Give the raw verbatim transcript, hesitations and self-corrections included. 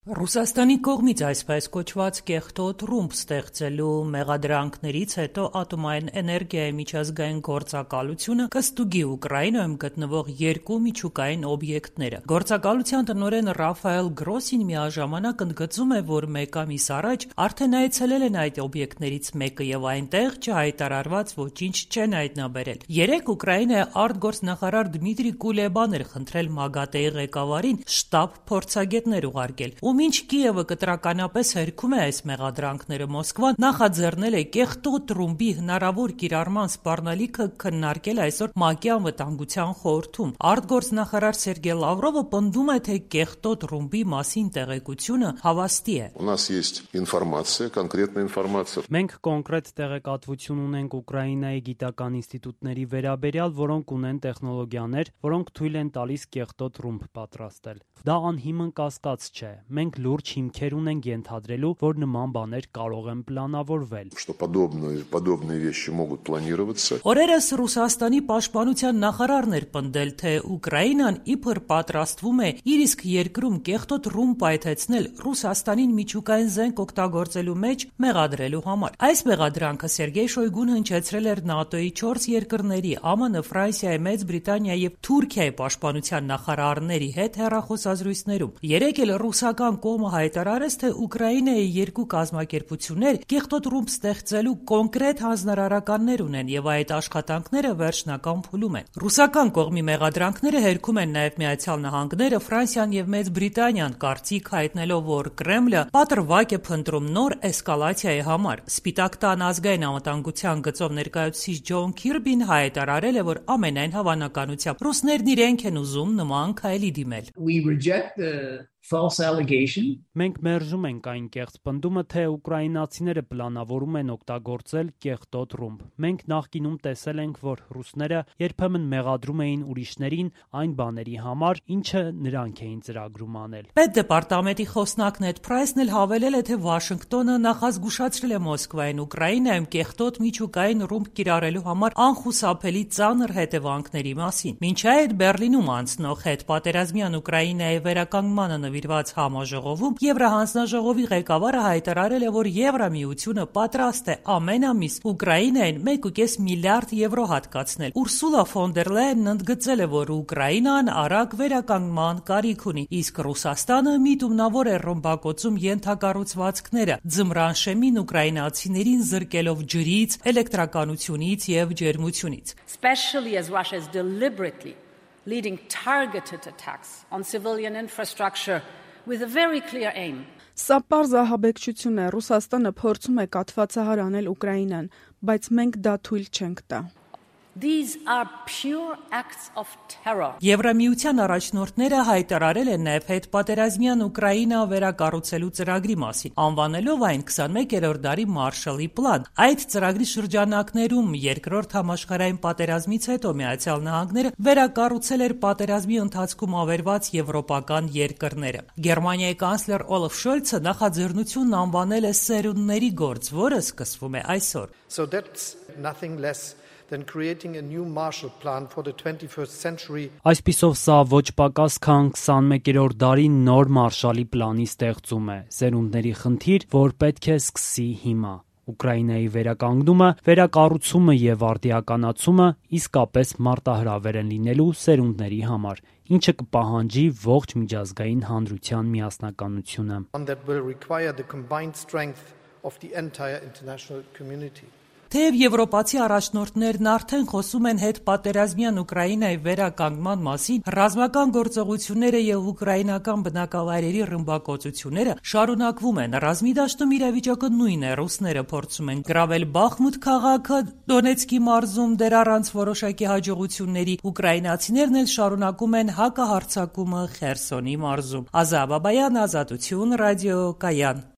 Ռուսաստանի կողմից այսպես կոչված կեղտոտ ռումբ ստեղծելու մեղադրանքներից հետո Ատոմային էներգիայի միջազգային գործակալությունը կստուգի Ուկրաինայում գտնվող երկու միջուկային օբյեկտները։ Գործակալության տնօրեն Ռաֆայել Գրոսին միաժամանակ ընդգծում է, որ մեկ ամիս առաջ արդեն այցելել են այդ օբյեկտներից մեկը եւ այնտեղ չհայտարարված ոչինչ չեն հայտնաբերել։ Երեկ Ուկրաինայի արտգործնախարար Դմիտրի Կուլեբան էր խնդրել ՄԱԳԱՏԷ-ի ղեկավարին շտաբ փորձագետներ ուղարկել։ Ու մինչ Կիևը կտրականապես հերքում է այս մեղադրանքները, Մոսկվան նախաձեռնել է կեղտոտ ռումբի հնարավոր կիրառման սպառնալիքը քննարկել այսօր ՄԱԿ-ի անվտանգության խորհրդում։ Արտգործնախարար Սերգեյ Լավրովը պնդում է, թե կեղտոտ ռումբի մասին տեղեկությունը հավաստի է։ У нас есть информация, конкретная информация. Մենք կոնկրետ տեղեկատվություն ունենք Ուկրաինայի գիտական ինստիտուտների վերաբերյալ, որոնք ունեն տեխնոլոգիաներ, որոնք թույլ են տալիս կեղտոտ ռումբ պատրաստել։ Դա անհիմն կասկած չէ։ Մենք լուրջ հիմքեր ունենք ենթադրելու, որ նման բաներ կարող են պլանավորվել։ Что подобные подобные вещи могут планироваться. Օրերս Ռուսաստանի պաշտպանության նախարարն էր պնդել, թե Ուկրաինան իբր պատրաստվում է իր իսկ երկրում կեղտոտ ռումբ պայթեցնել Ռուսաստանին միջուկային զենք օգտագործելու մեջ մեղադրելու համար։ Այս մեղադրանքը Սերգեյ Շոյգուն հնչեցրել էր ՆԱՏՕ-ի չորս երկրների՝ ԱՄՆ, Ֆրանսիայի, Մեծ Բրիտանիայի եւ Թուրքիայի պաշտպանության նախարարների հետ հեռախոսազրույցներում։ Երեկ էլ ռուսական կողմը հայտարարեց, թե Ուկրաինայի երկու կազմակերպություններ կեղտոտ ռումբ ստեղծելու կոնկրետ հանձնարարականներ ունեն եւ այդ աշխատանքները վերջնական փուլում են։ Ռուսական կողմի մեղադրանքները հերքում են նաեւ Միացյալ Նահանգները, Ֆրանսիան եւ Մեծ Բրիտանիան, կարծիք հայտնելով, որ Կրեմլը պատրվակ է փնտրում նոր էսկալացիայի համար։ Սպիտակ տան ազգային անվտանգության գծով ներկայացուցիչ Ջոն Քիրբին հայտարարել է, որ ամենայն հավանականությամբ ռուսներն իրենք են ուզում նման քայլի դիմել։ We reject the false allegation. Մենք մերժում ենք այն կեղծ պնդումը, թե ուկրաինացիները պլանավորում են օգտագործել կեղտոտ ռումբ։ Մենք նախկինում տեսել ենք, որ ռուսները երբեմն մեղադրում էին ուրիշներին այն բաների համար, ինչը նրանք էին ծրագրում անել։ Պետդեպարտամենտի խոսնակ Նեդ Պրայսն էլ հավելել է, թե Վաշինգտոնը նախազգուշացրել է Մոսկվային Ուկրաինայում կեղտոտ միջուկային ռումբ կիրառելու համար անխուսափելի ծանր հետևանքների մասին։ Մինչ այդ Բերլինում անցնող հետպատերազմյան Ուկրաինայի վերականգմանը նվիրված համաժողովում Եվրահանձնաժողովի ղեկավարը հայտարարել է, որ Եվրամիությունը պատրաստ է ամեն ամիս Ուկրաինային մեկ կόμμα պենս միլիարդ եվրո հատկացնել։ Ուրսուլա ֆոն դեր Լայենն ընդգծել է, որ Ուկրաինան արագ վերականգնման կարիք ունի, իսկ Ռուսաստանը միտումնավոր է ռմբակոծում ենթակառուցվածքները, ձմռան շեմին ուկրաինացիներին զրկելով ջրից, էլեկտրականությունից եւ ջերմությունից։ Especially as Russia is deliberately leading targeted attacks on civilian infrastructure with a very clear aim. Սա պարզ ահաբեկչություն է, Ռուսաստանը փորձում է կաթվածահար անել Ուկրաինան, բայց մենք դա թույլ չենք տա։ These are pure acts of terror. Եվրամիության առաջնորդները հայտարարել են նաև հետպատերազմյան Ուկրաինա վերակառուցելու ծրագրի մասին, անվանելով այն քսանմեկերորդ դարի Մարշալի պլան։ Այդ ծրագրի շրջանակներում երկրորդ համաշխարհային պատերազմից հետո Միացյալ Նահանգները վերակառուցել էր պատերազմի ընթացքում ավերված եվրոպական երկրները։ Գերմանիայի կանցլեր Օլաֆ Շոլցը նախաձեռնությունն անվանել է սերունդների գործ, որը սկսվում է այսօր։ So that's nothing less than creating a new Marshall Plan for the twenty-first century. Այսպիսով սա ոչ պակաս քան քսանմեկերորդ դարի նոր Մարշալի պլանի ստեղծում է, սերունդների խնդիր, որ պետք է սկսի հիմա։ Ուկրաինայի վերականգնումը, վերակառուցումը եւ արդիականացումը իսկապես մարտահրավեր են լինելու սերունդների համար, ինչը կպահանջի ողջ միջազգային հանրության միասնականությունը։ One that will require the combined strength of the entire international community. Թեև եվրոպացի առաջնորդներն արդեն խոսում են հետպատերազմյան Ուկրաինայի վերականգնման մասին, ռազմական գործողությունները եւ ուկրաինական բնակավայրերի ռմբակոծությունները շարունակվում են։ Ռազմի դաշտում իրավիճակը նույնն է, ռուսները փորձում են գրավել Բախմուտ քաղաքը Դոնեցկի մարզում դեռ առանց որոշակի հաջողությունների, ուկրաինացիներն էլ շարունակում են հակահարձակումը Խերսոնի մարզում։ Ազա Բաբայան, Ազատություն, ռադիո Կայան։